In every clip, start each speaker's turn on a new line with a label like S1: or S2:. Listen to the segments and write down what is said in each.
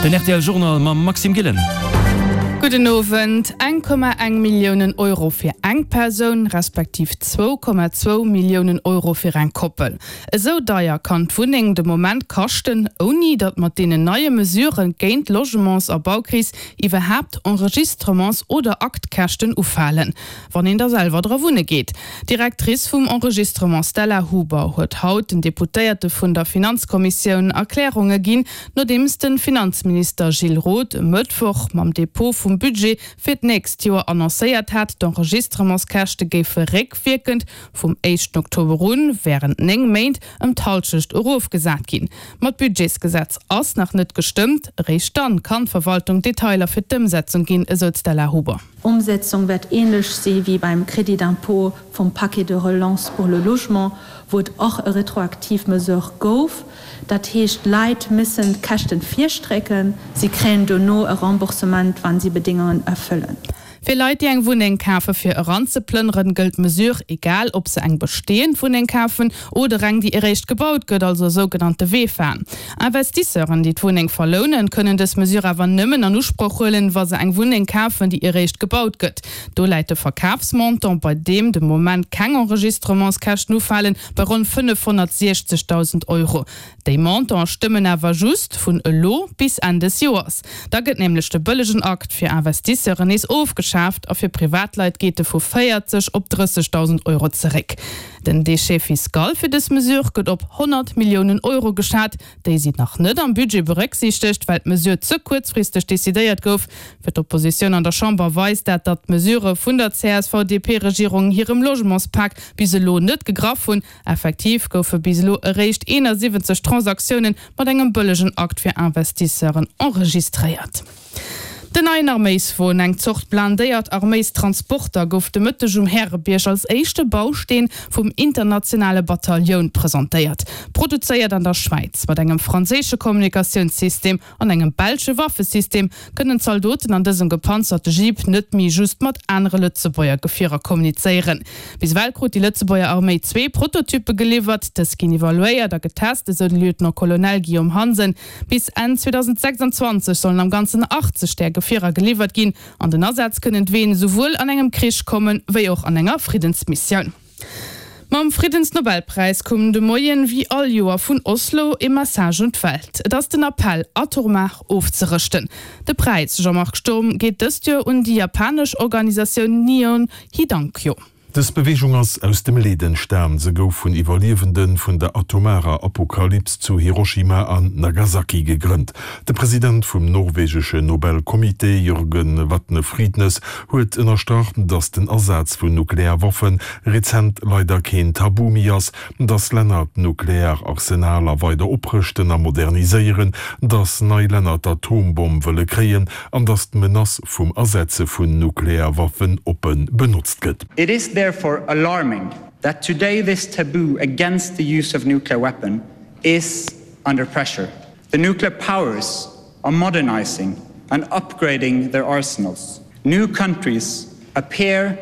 S1: Den rtl Journal mam Maxime Gillen.
S2: Gudden Owend. 1,1 Milliounen Euro fir eng Persoun, respektiv 2,2 Milliounen Euro fir eng Koppel. Esou deier kann d'Wunneng de Moment kaschten, ouni datt mat deenen neie Mesurë géint d'Logements a Baukris iwwerhaapt Enregistrements oder Aktkäschten ufalen, wann een da selwer dra wunne geet. D'Directrice vum Enregistrement Stella Huber huet haut den Deputéierte vun der Finanzkommissioun Erklärunge ginn, nodeems de Finanzminister Gilles Roth e Mëttwoch mam Depot vum Budget fir d'nächst Joer annoncéiert hat, d'Enregistrementskäschte géife réckwierkend vum éischten Oktober un wärend 9 Méint ëm d'Hallschecht erofgesat ginn. Ma d'Budgetsgesetz ass nach net gestëmmt, eréischt dann kann d'Verwaltung Detailer fir d'Ëmsetzung ginn, esou d'Stella Huber.
S3: Umsetzung wäert ähnlech si wéi beim Crédit d'impôt vum Paquet de relance pour le logement, wou et och e retroaktiv Mesure gouf. Dat heescht, d'Leit missen d'Käschten virstrecken, si kréien dono e Remboursement, wa si Bedéngungen erfëllen.
S2: Fir Leit, déi eng Wunneng kafe fir eranzeplënneren, gëllt d'Mesure, egal ob se eng besteeënd Wunneng kafen oder eng, déi eréischt gebaut gëtt, also e sougenannte VEFA. Investisseuren, déi d'Wunneng verlounen, kënnen dës Mesure awer nëmmen an Usproch huelen, wa se eng Wunneng kafen, déi eréischt gebaut gëtt. Do läit de Verkafsmontant, bei deem de Moment keng Enregistrementskäschten ufalen, bei ronn 560.000 Euro. Déi Montantë stëmmen awer just vun elo bis Enn des Joers. Da gëtt nämlech de bëllegen Akt fir Investisseuren nees ofgeschaaft a fir Privatleit geet e vu 40 op 30.000 Euro zeréck. Den Déchet fiscal fir dës Mesure gëtt op 100 Milliounen Euro geschat. Déi sinn nach net am Budget berécksiichtegt, well d'Mesure ze kuerzfristeg decidéiert gouf. Fir d'Oppositioun an der Chamber weist dat, datt d'Mesurë vun der CSV-DP-Regierung hirem Logementspak bis elo net gegraff hunn. Effektiv goufe bis elo eréischt 71 Transaktioune mat engem bëllegen Akt fir Investisseuren enregistréiert. Den neien Arméiswon, eng Zort blindéiert Arméistransporter, gouf de Mëtteg um Härebierg als éischte Bausteen vum internationale Batallioun presentéiert. Produzéiert an der Schwäiz, mat engem franséische Kommunikatiounssystem An engem belsche Waffesystem kënnen d'Zaldoten an dësem gepanzerte Jeep net méi just mat anere Lëtzebuerger Gefierer kommunizéieren. Bis ewell krut déi Lëtzebuerger Arméi zwee Prototyppe geliwwert. Dës ginn evaluéiert a getest, esou de Lieutenant-Colonel Guillaume Hansen. Bis Enn 2026 sollen am Ganzen 80 där Gefierer geliwwert ginn. An den Asaz kënnen d'Ween esouwuel an engem Krich kommen, wéi och an enger Friddensmissioun. Mam Friddensnobelpräis koum de Moien, wéi all Joer, vun Oslo e Message un d'Welt. Et ass den Appell, atomar ofzerëschten. De Präis Jean-Marc Sturm geet dëst Joer un déi japanesch Organisatioun Nihon Hidankyo.
S4: Dës Beweegung ass aus dem Leed entstan. Se gouf vun Iwwerliewende vun der atomarer Apokalyps zu Hiroshima an Nagasaki gegrënnt. De President vum norwegesche Nobelcomité, Jørgen Watne Frydnes, huet ënnerstrach, datt den Asaz vun Nuklearwaffe rezent leider keen Tabu méi ass, datt Länner d'Nukleararsenaler weider oprëschten a moderniséieren, datt nei Länner d'Atombomm wëlle kréien an datt d'Menace vum Asetze vun Nuklearwaffen oppe benotzt gëtt.
S5: It is therefore alarming that today this taboo against the use of nuclear weapon is under pressure. The nuclear powers are modernizing and upgrading their arsenals. New countries appear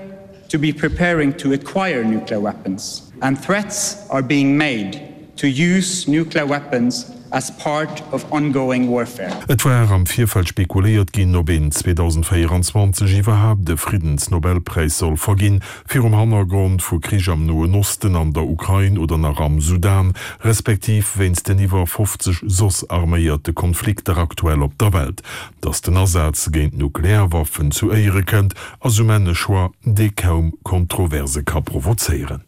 S5: to be preparing to acquire nuclear weapons, and threats are being made to use nuclear weapons as part of ongoing warfare.
S4: Et war am Virfeld spekuléiert ginn, ob een 2024 iwwerhaapt e Friddensnobelpräis soll verginn, virum Hannergrond vu Krich am Noen Osten, an der Ukrain oder nach am Sudan, respektiv wéinst den iwwer 50 soss arméierte Konflikter aktuell op der Welt. Datt den Asaz géint Nuklearwaffen zu Éiere kënnt, ass um Enn e Choix, dee kaum Kontroverse ka provozéieren.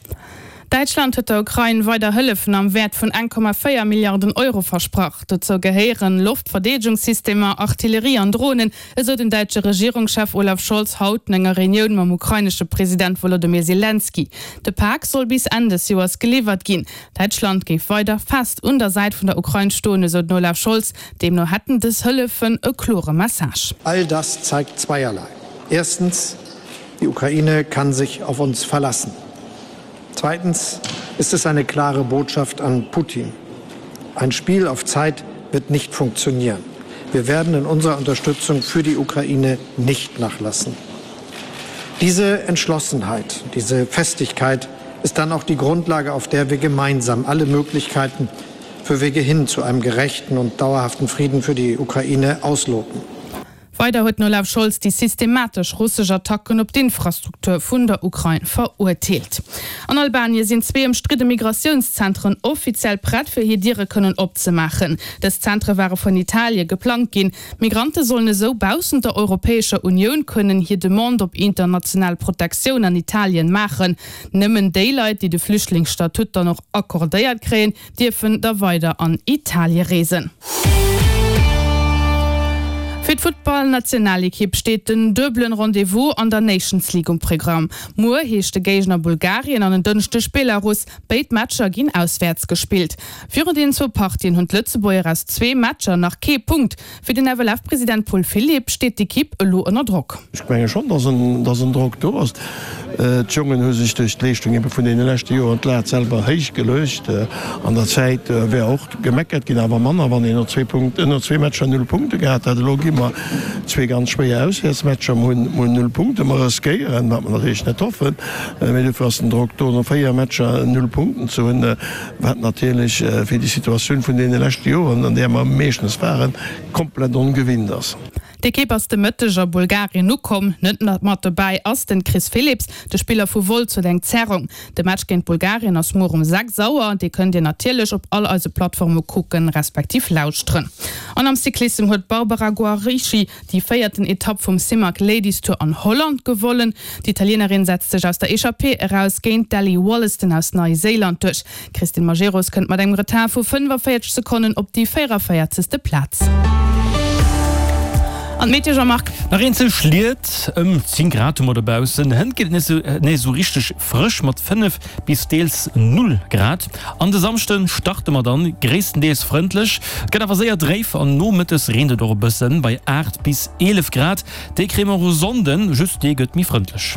S2: Däitschland huet der Ukrain weider Hëllefen am Wäert vun 1,4 Milliarden Euro versprach. Dozou gehéieren Loftverdeedegungssystemer, Artillerie an Dronen, esou den däitsche Regierungschef Olaf Scholz haut no enger Reunioun mam ukrainesche President Wolodymyr Selenskyj. De Pak soll bis Enn des Joers geliwwert ginn. Däitschland géif weider fest un der Säit vun der Ukrain stoen, esou den Olaf Scholz. Deemno hätten dës Hëllefen e klore Message.
S6: All das zeigt zweierlei. Erstens, Die Ukraine kann sich auf uns verlassen. Zweitens ist es eine klare Botschaft an Putin. Ein Spiel auf Zeit wird nicht funktionieren. Wir werden in unserer Unterstützung für die Ukraine nicht nachlassen. Diese Entschlossenheit, diese Festigkeit ist dann auch die Grundlage, auf der wir gemeinsam alle Möglichkeiten. für Wege hin zu einem gerechten und dauerhaften Frieden für die Ukraine ausloten.
S2: Weider huet den Olaf Scholz déi systematesch russesch Attacken op d'Infrastruktur vun der Ukrain verurteelt. An Albanie sinn zwee ëmstridde Migratiounszentren offiziell prett fir hir Diere kënnen opzemaachen. Dës Zentre ware vun Italie geplangt ginn. D'Migrante sollen esou baussent der Europäescher Unioun kënnen hir Demande op international Protektioun an Italien maachen. Nëmmen déi Leit, déi de Flüchtlingsstatut dann och accordéiert kréien, dierfen da weider an Italie reesen. Fir d'Futtballnationalekipp steet den duebelen Rendez-vous an der Nations League um Programm. Muer heescht de Géigner Bulgarien an en Dënschdeg Belarus. Béid Matcher ginn auswäerts gespillt. Virun deenen zwou Partien hunn d'Lëtzebuerger aus zwee Matcher nach kee Punkt. Fir den FLF-President Paul Philipp steet d'Ekipp elo ënner Drock.
S7: Ech menge schonn, dass en Drock do ass. D'Jongen hu sech duerch d'Leeschtung ebe vun deene leschte Joren d'Lat selwer héich geluecht. An der Zäit wär och gemeckert ginn, awer manner, wann een no zwee Punkten, no zwee Matcher null Punkte gehat hätt. Elo gi mer zwee ganz schwéier Auswäertsmatcher, mer hunn null Punkte. Mer riskéieren, wat mer natierlech net hoffen, mee dofir ass den Drock do, no véier Matcher null Punkten ze hunn, wat natierlech fir déi Situatioun vun deene leschte Joren, an där mer meeschtens waren, komplett ongewinnt ass.
S2: D'Ekipp ass de Mëtteg a Bulgarien ukomm. Net mat dobäi ass den Chris Philipps. De Spiller vu Wolz huet eng Zerrung. De Match géint Bulgarien ass muer um 6 Auer. Dee kënnt dir natierlech op all eise Plattforme kucken, respektiv lauschteren. An am Cyclissem huet d'Barbara Guarischi déi véierten Etapp vum Simac Ladies Tour an Holland gewonnen. D'Italienerin setzt sech aus der Echappée eraus géint d'Ellie Wollaston aus Neiséiland duerch. D'Christine Majerus kënnt mat engem Retard vu 45 Sekonnen op déi 44. Plaz. An d'Meteo, Jean-Marc?
S1: Nach eenzel Schliet, ëm 10 Grad hu mer dobaussen. Hënt geet et nees esou richteg frësch mat 5 bis deels 0 Grad. An de Samschde starte mer dann gréisstendeels frëndlech. Et gëtt awer séier dréif an nomëttes reent et och e bëssen bei 8 bis 11 Grad. Déi kréie mer och e Sonnden, just dee gëtt méi frëndlech.